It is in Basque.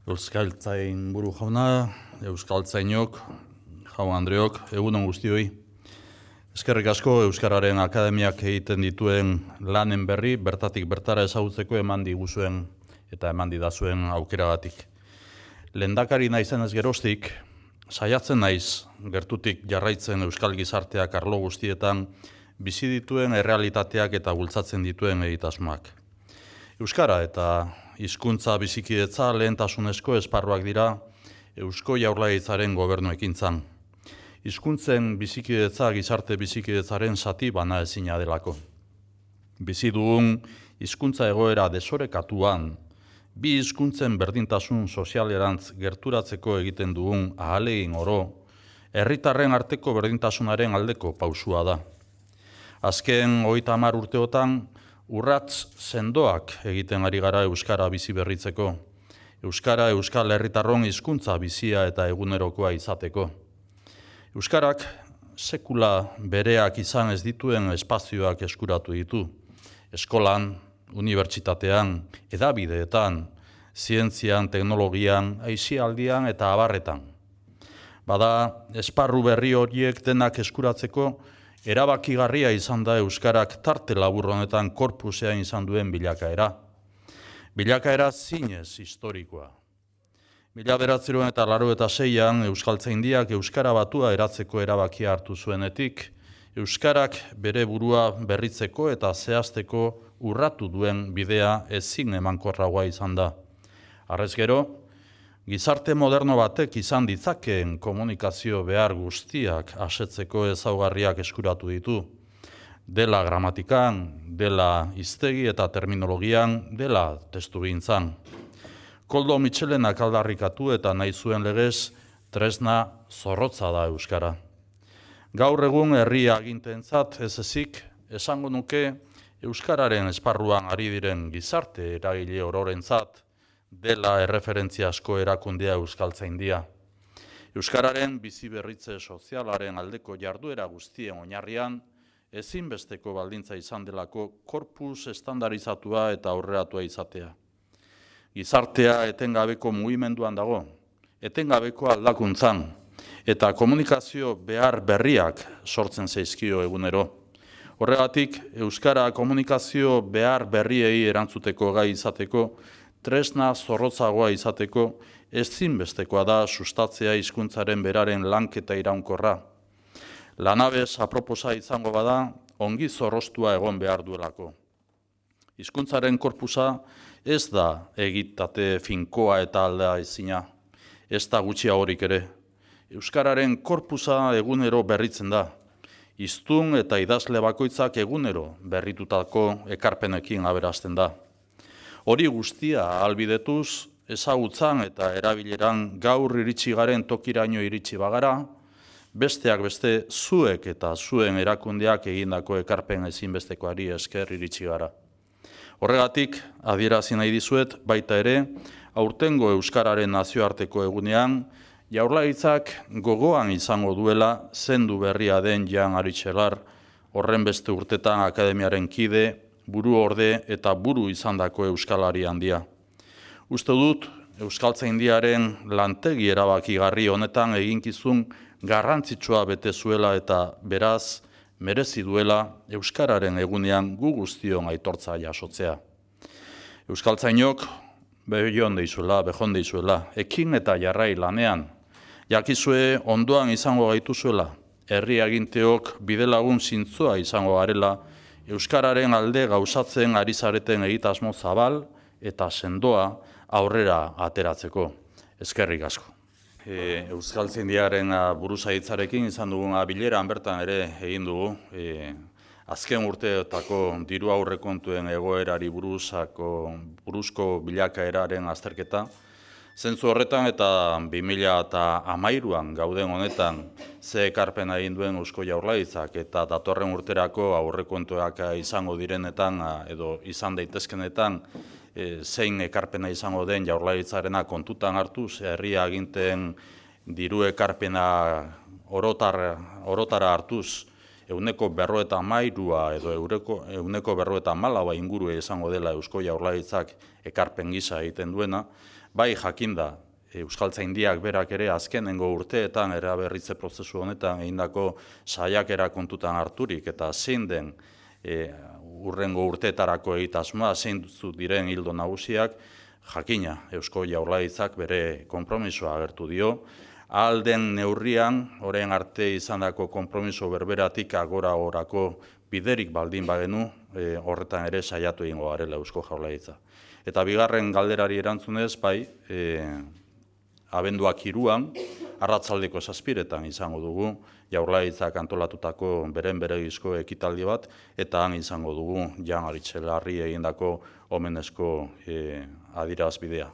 Euskaltzain buru jauna, euskaltzainok, jaun Andreok, egunon guztioi. Eskerrik asko Euskararen Akademiak egiten dituen lanen berri, bertatik bertara ezagutzeko eman diguzuen eta eman didazuen aukeragatik. Lehendakari naizenez geroztik, saiatzen naiz gertutik jarraitzen euskal gizarteak arlo guztietan bizi dituen errealitateak eta bultzatzen dituen egitasmoak. Euskara eta hizkuntza bizikidetza lehentasunezko esparruak dira Eusko Jaurlaritzaren gobernu ekintzan. Hizkuntzen bizikidetza gizarte bizikidetzaren zati bana ezina delako. Bizi dugun hizkuntza egoera desorekatuan, bi hizkuntzen berdintasun sozialerantz gerturatzeko egiten dugun ahalegin oro, herritarren arteko berdintasunaren aldeko pausua da. Azken 30 urteotan, urrats sendoak egiten ari gara euskara bizi berritzeko. Euskara euskal herritarron hizkuntza bizia eta egunerokoa izateko. Euskarak sekula bereak izan ez dituen espazioak eskuratu ditu. Eskolan, unibertsitatean, hedabideetan, zientzian, teknologian, aisialdian eta abarretan. Bada, esparru berri horiek denak eskuratzeko, erabakigarria izan da euskarak tarte labur honetan korpusean izan duen bilakaera. Bilakaera zinez historikoa. 1986an Euskaltzaindiak euskara batua eratzeko erabakia hartu zuenetik, euskarak bere burua berritzeko eta zehazteko urratu duen bidea ezin emankorragoa izan da. Harrez gero, gizarte moderno batek izan ditzakeen komunikazio behar guztiak asetzeko ezaugarriak eskuratu ditu. Dela gramatikan, dela hiztegi eta terminologian, dela testugintzan. Koldo Mitxelenak aldarrikatu eta nahi zuen legez, tresna zorrotza da euskara. Gaur egun herri agintentzat ez ezik, esango nuke euskararen esparruan ari diren gizarte eragile ororentzat, dela erreferentziasko erakundea Euskaltzaindia. Euskararen bizi berritze sozialaren aldeko jarduera guztien oinarrian, ezinbesteko baldintza izan delako korpus estandarizatua eta aurreratua izatea. Gizartea etengabeko mugimenduan dago, etengabeko aldakuntzan, eta komunikazio behar berriak sortzen zaizkio egunero. Horregatik, euskara komunikazio behar berriei erantzuteko gai izateko, tresna zorrotzagoa izateko, ezinbestekoa da sustatzea hizkuntzaren beraren lanketa iraunkorra. Lanabez aproposa izango bada, ongi zorroztua egon behar duelako. Hizkuntzaren korpusa ez da egitate finkoa eta aldea ezina, ez da gutxiagorik ere. Euskararen korpusa egunero berritzen da. Hiztun eta idazle bakoitzak egunero berritutako ekarpenekin aberasten da. Hori guztia ahalbidetuz, ezagutzan eta erabileran gaur iritsi garen tokiraino iritsi bagara, besteak beste zuek eta zuen erakundeak egindako ekarpen ezinbestekoari esker iritsi gara. Horregatik, adierazi nahi dizuet, baita ere, aurtengo euskararen nazioarteko egunean, Jaurlaritzak gogoan izango duela zendu berria den Jan Aritxelar, horren beste urtetan akademiaren kide, buru orde eta buru izandako euskalari handia. Uste dut, Euskaltzaindiaren lantegi erabakigarri honetan eginkizun garrantzitsua bete zuela eta beraz, merezi duela euskararen egunean gu guztion aitortza jasotzea. Euskaltzainok behon deizuela, ekin eta jarrai lanean, jakizue ondoan izango gaituzuela, herri aginteok bidelagun zintzoa izango garela, euskararen alde gauzatzen ari zareten egitasmo zabal eta sendoa aurrera ateratzeko. Eskerrik asko. Euskaltzaindiaren buruzagitzarekin izan dugun bileran bertan ere egin dugu. Azken urteetako diru aurrekontuen egoerari buruzko bilakaeraren azterketa. Zentzu horretan eta 2013an gauden honetan ze ekarpena egin duen Eusko Jaurlaritzak eta datorren urterako aurrekontuak izango direnetan edo izan daitezkenetan zein ekarpena izango den Jaurlaritzarena kontutan hartuz, herri aginteen diru ekarpena orotara hartuz, 153 edo 154 ingurua izango dela Eusko Jaurlaritzak ekarpen gisa egiten duena, bai jakinda, Euskaltzaindiak berak ere azkenengo urteetan eraberritze prozesu honetan egindako saiakera kontutan harturik eta zein den urrengo urteetarako egitasmoa, zeintzuk diren ildo nagusiak, jakina Eusko Jaurlaritzak bere konpromisoa agertu dio. Ahal den neurrian, orain arte izandako konpromiso berberatik agora-gorako biderik baldin bagenu, horretan ere saiatu egingo garela Eusko Jaurlaritza. Eta bigarren galderari erantzunez, bai, abenduak 3an, arratsaldeko 7etan izango dugu, Jaurlaritzak antolatutako beregizko ekitaldi bat, eta han izango dugu Jan Aritxelarri egindako omenezko adierazbidea.